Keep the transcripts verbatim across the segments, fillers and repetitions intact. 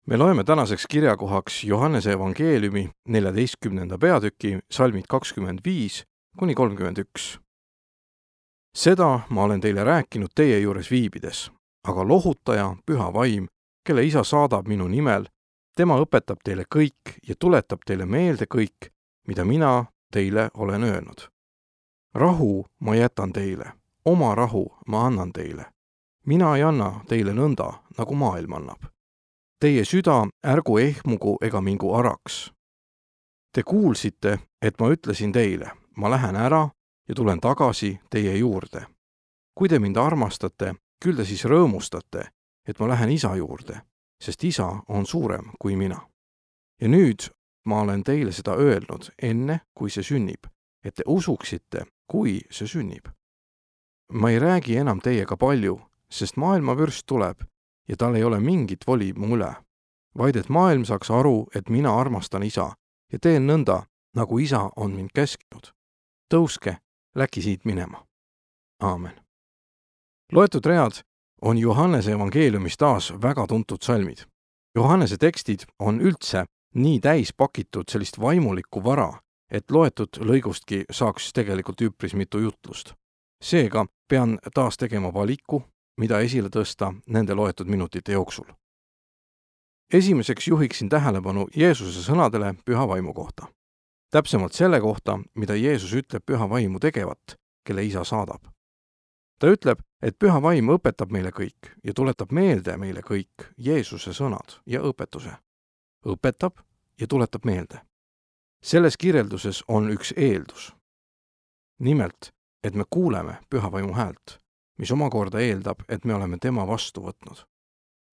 Me loeme tänaseks kirjakohaks Johannese evangeeliumi neljateistkümnenda peatüki salmid kakskümmend viis kuni kolmkümmend üks. Seda ma olen teile rääkinud teie juures viibides, aga lohutaja, püha vaim, kelle isa saadab minu nimel, tema õpetab teile kõik ja tuletab teile meelde kõik, mida mina teile olen öelnud. Rahu ma jätan teile, oma rahu ma annan teile. Mina ei anna teile nõnda, nagu maailm annab. Teie süda ärgu ehmugu ega mingu araks. Te kuulsite, et ma ütlesin teile, ma lähen ära ja tulen tagasi teie juurde. Kui te mind armastate, küll te siis rõõmustate, et ma lähen isa juurde, sest isa on suurem kui mina. Ja nüüd ma olen teile seda öelnud enne, kui see sünnib, et te usuksite, kui see sünnib. Ma ei räägi enam teiega palju, sest maailma vürst tuleb ja tal ei ole mingit voli mu üle, vaid et maailm saaks aru, et mina armastan isa ja teen nõnda, nagu isa on mind käskinud. Tõuske, läki siit minema. Aamen. Loetud read on Johannese evangeeliumis taas väga tuntud salmid. Johannese tekstid on üldse nii täis pakitud sellist vaimulikku vara, et loetud lõigustki saaks tegelikult üpris mitu jutlust. Seega pean taas tegema valiku, mida esile tõsta nende loetud minutite jooksul. Esimeseks juhiksin tähelepanu Jeesuse sõnadele püha vaimu kohta. Täpsemalt selle kohta, mida Jeesus ütleb püha vaimu tegevat, kelle isa saadab. Ta ütleb, et püha vaim õpetab meile kõik ja tuletab meelde meile kõik Jeesuse sõnad ja õpetuse. Õpetab ja tuletab meelde. Selles kirjelduses on üks eeldus. Nimelt, et me kuuleme püha vaimu häält, mis omakorda eeldab, et me oleme tema vastu võtnud.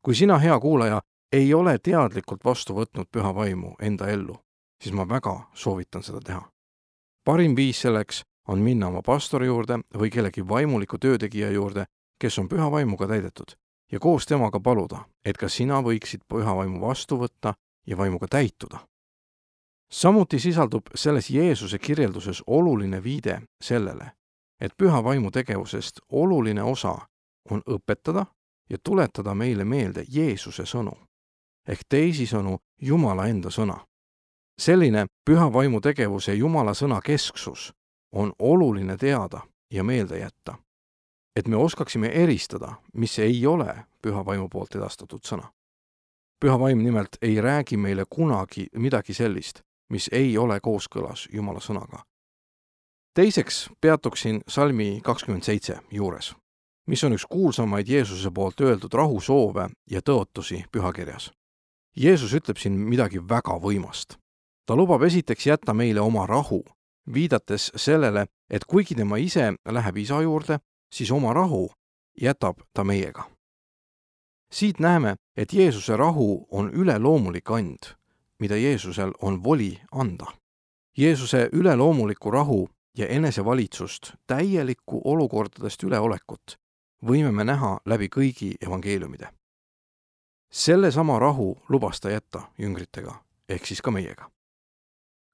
Kui sina, hea kuulaja, ei ole teadlikult vastu võtnud püha vaimu enda ellu, siis ma väga soovitan seda teha. Parim viis selleks on minna oma pastori juurde või kellegi vaimuliku töötegija juurde, kes on püha vaimuga täidetud, ja koos temaga paluda, et ka sina võiksid püha vaimu vastu võtta ja vaimuga täituda. Samuti sisaldub selles Jeesuse kirjelduses oluline viide sellele, et püha vaimu tegevusest oluline osa on õpetada ja tuletada meile meelde Jeesuse sõnu, ehk teisisõnu Jumala enda sõna. Selline püha vaimu tegevuse Jumala sõna kesksus on oluline teada ja meelde jätta, et me oskaksime eristada, mis ei ole püha vaimu poolt edastatud sõna. Püha vaim nimelt ei räägi meile kunagi midagi sellist, mis ei ole kooskõlas Jumala sõnaga. Teiseks peatuksin salmi kakskümmend seitse juures, mis on üks kuulsamaid Jeesuse poolt öeldud rahusoove ja tõotusi pühakirjas. Jeesus ütleb siin midagi väga võimast. Ta lubab esiteks jätta meile oma rahu, viidates sellele, et kuigi tema ise läheb isa juurde, siis oma rahu jätab ta meiega. Siit näeme, et Jeesuse rahu on üleloomulik and, mida Jeesusel on voli anda. Jeesuse üleloomuliku rahu ja enesevalitsust, täielikku olukordadest üleolekut võime me näha läbi kõigi evangeeliumide. Selle sama rahu lubas ta jätta jüngritega, ehk siis ka meiega.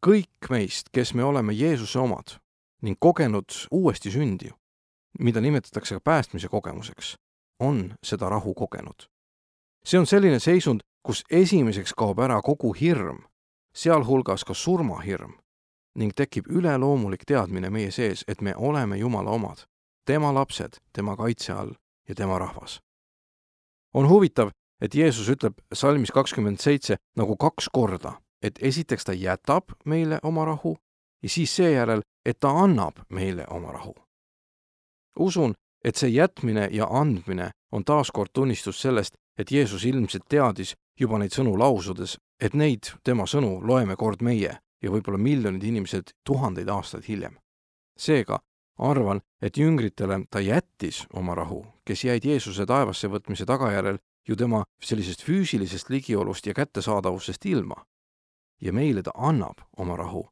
Kõik meist, kes me oleme Jeesuse omad ning kogenud uuesti sündi, mida nimetatakse ka päästmise kogemuseks, on seda rahu kogenud. See on selline seisund, kus esimeseks kaob ära kogu hirm, sealhulgas ka surmahirm, ning tekib üleloomulik teadmine meie sees, et me oleme Jumala omad, tema lapsed, tema kaitse all ja tema rahvas. On huvitav, et Jeesus ütleb salmis kakskümmend seitse nagu kaks korda, et esiteks ta jätab meile oma rahu ja siis seejärel, et ta annab meile oma rahu. Usun, et see jätmine ja andmine on taaskord tunnistus sellest, et Jeesus ilmselt teadis juba neid sõnu lausudes, et neid tema sõnu loeme kord meie ja võib-olla miljonid inimesed tuhandeid aastaid hiljem. Seega arvan, et jüngritele ta jättis oma rahu, kes jäid Jeesuse taevasse võtmise tagajärel ju tema sellisest füüsilisest ligiolust ja kättesaadavusest ilma. Ja meile ta annab oma rahu,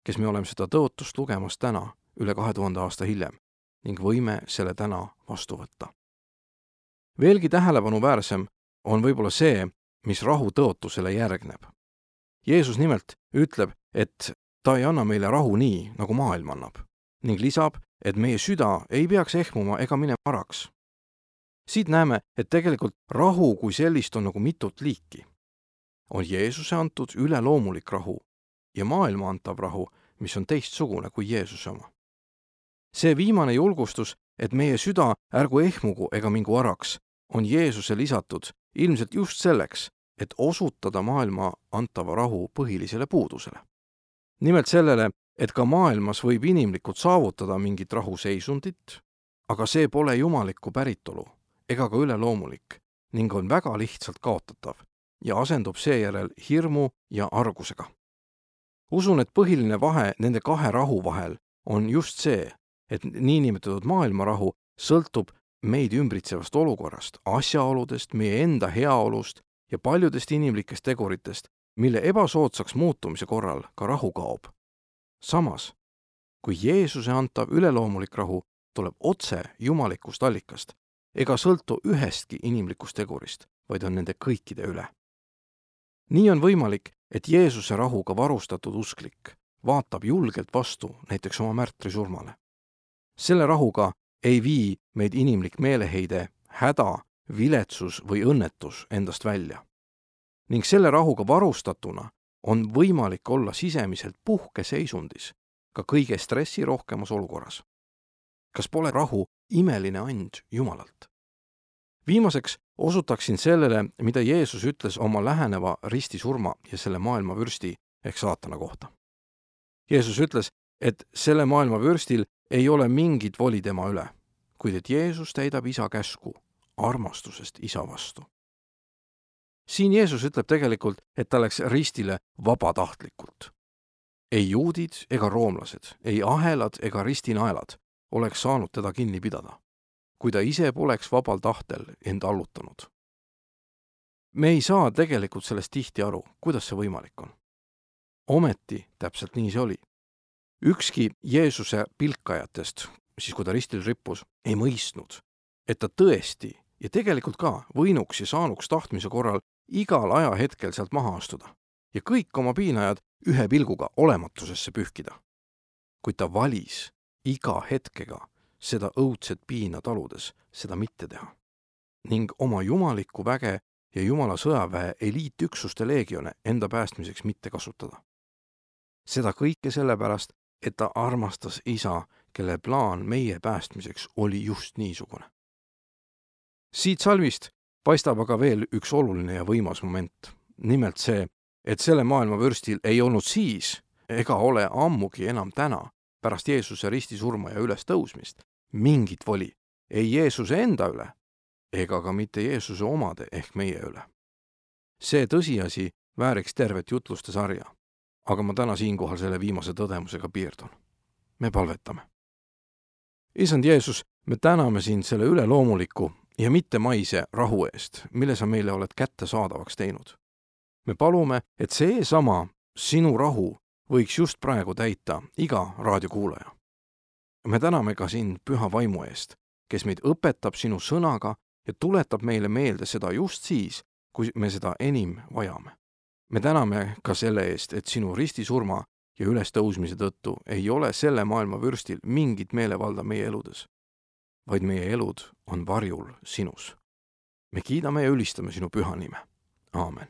kes me oleme seda tõotust lugemas täna üle kahe tuhande aasta hiljem ning võime selle täna vastu võtta. Veelgi tähelepanuväärsem on võib-olla see, mis rahu tõotusele järgneb. Jeesus nimelt ütleb, et ta ei anna meile rahu nii, nagu maailm annab, ning lisab, et meie süda ei peaks ehmuma ega minema araks. Siit näeme, et tegelikult rahu kui sellist on nagu mitut liiki. on Jeesuse antud üleloomulik rahu ja maailma antav rahu, mis on teistsugune kui Jeesuse oma. See viimane julgustus, et meie süda ärgu ehmugu ega mingu araks, on Jeesuse lisatud ilmselt just selleks, et osutada maailma antava rahu põhilisele puudusele. Nimelt sellele, et ka maailmas võib inimlikult saavutada mingit rahuseisundit, aga see pole jumalikku päritolu ega ka üleloomulik ning on väga lihtsalt kaotatav ja asendub seejärel hirmu ja argusega. Usun, et põhiline vahe nende kahe rahu vahel on just see, et niinimetatud maailmarahu sõltub meid ümbritsevast olukorrast, asjaoludest, meie enda heaolust ja paljudest inimlikest teguritest, mille ebasoodsaks muutumise korral ka rahu kaob. Samas, kui Jeesuse antav üleloomulik rahu tuleb otse jumalikust allikast ega sõltu ühestki inimlikust tegurist, vaid on nende kõikide üle. Nii on võimalik, et Jeesuse rahuga varustatud usklik vaatab julgelt vastu näiteks oma märtri surmale. Selle rahuga ei vii meid inimlik meeleheide, häda, viletsus või õnnetus endast välja. Ning selle rahuga varustatuna on võimalik olla sisemiselt puhkeseisundis ka kõige stressirohkemas olukorras. Kas pole rahu imeline and Jumalalt? Viimaseks osutaksin sellele, mida Jeesus ütles oma läheneva ristisurma ja selle maailma vürsti ehk saatana kohta. Jeesus ütles, et selle maailma vürstil ei ole mingit voli tema üle, kuid et Jeesus täidab isa käsku armastusest isa vastu. Siin Jeesus ütleb tegelikult, et ta läks ristile vabatahtlikult. Ei juudid ega roomlased, ei ahelad ega ristinaelad oleks saanud teda kinni pidada, kui ta ise poleks vabal tahtel end allutanud. Me ei saa tegelikult sellest tihti aru, kuidas see võimalik on. Ometi täpselt nii see oli. Ükski Jeesuse pilkajatest, siis kui ta ristil rippus, ei mõistnud, et ta tõesti ja tegelikult ka võinuks ja saanuks tahtmise korral igal ajahetkel sealt maha astuda ja kõik oma piinajad ühe pilguga olematusesse pühkida. Kuid ta valis iga hetkega seda õudset piina taludes seda mitte teha ning oma jumalikku väge ja Jumala sõjaväe eliitüksuste leegione enda päästmiseks mitte kasutada. Seda kõike sellepärast, et ta armastas isa, kelle plaan meie päästmiseks oli just niisugune. Siit salmist paistab aga veel üks oluline ja võimas moment. Nimelt see, et selle maailma vürstil ei olnud siis ega ole ammugi enam täna pärast Jeesuse ristisurma ja üles tõusmist mingit voli ei Jeesuse enda üle ega ka mitte Jeesuse omade ehk meie üle. See tõsiasi vääriks tervet jutluste sarja, aga ma täna siinkohal selle viimase tõdemusega piirdun. Me palvetame. Isand Jeesus, me täname sind selle üleloomuliku ja mitte maise rahu eest, mille sa meile oled kätte saadavaks teinud. Me palume, et see sama sinu rahu võiks just praegu täita iga raadiokuulaja. Me täname ka sind püha vaimu eest, kes meid õpetab sinu sõnaga ja tuletab meile meelde seda just siis, kui me seda enim vajame. Me täname ka selle eest, et sinu ristisurma ja ülestõusmise tõttu ei ole selle maailma vürstil mingit meelevalda meie eludes, vaid meie elud on varjul sinus. Me kiidame ja ülistame sinu püha nime. Aamen.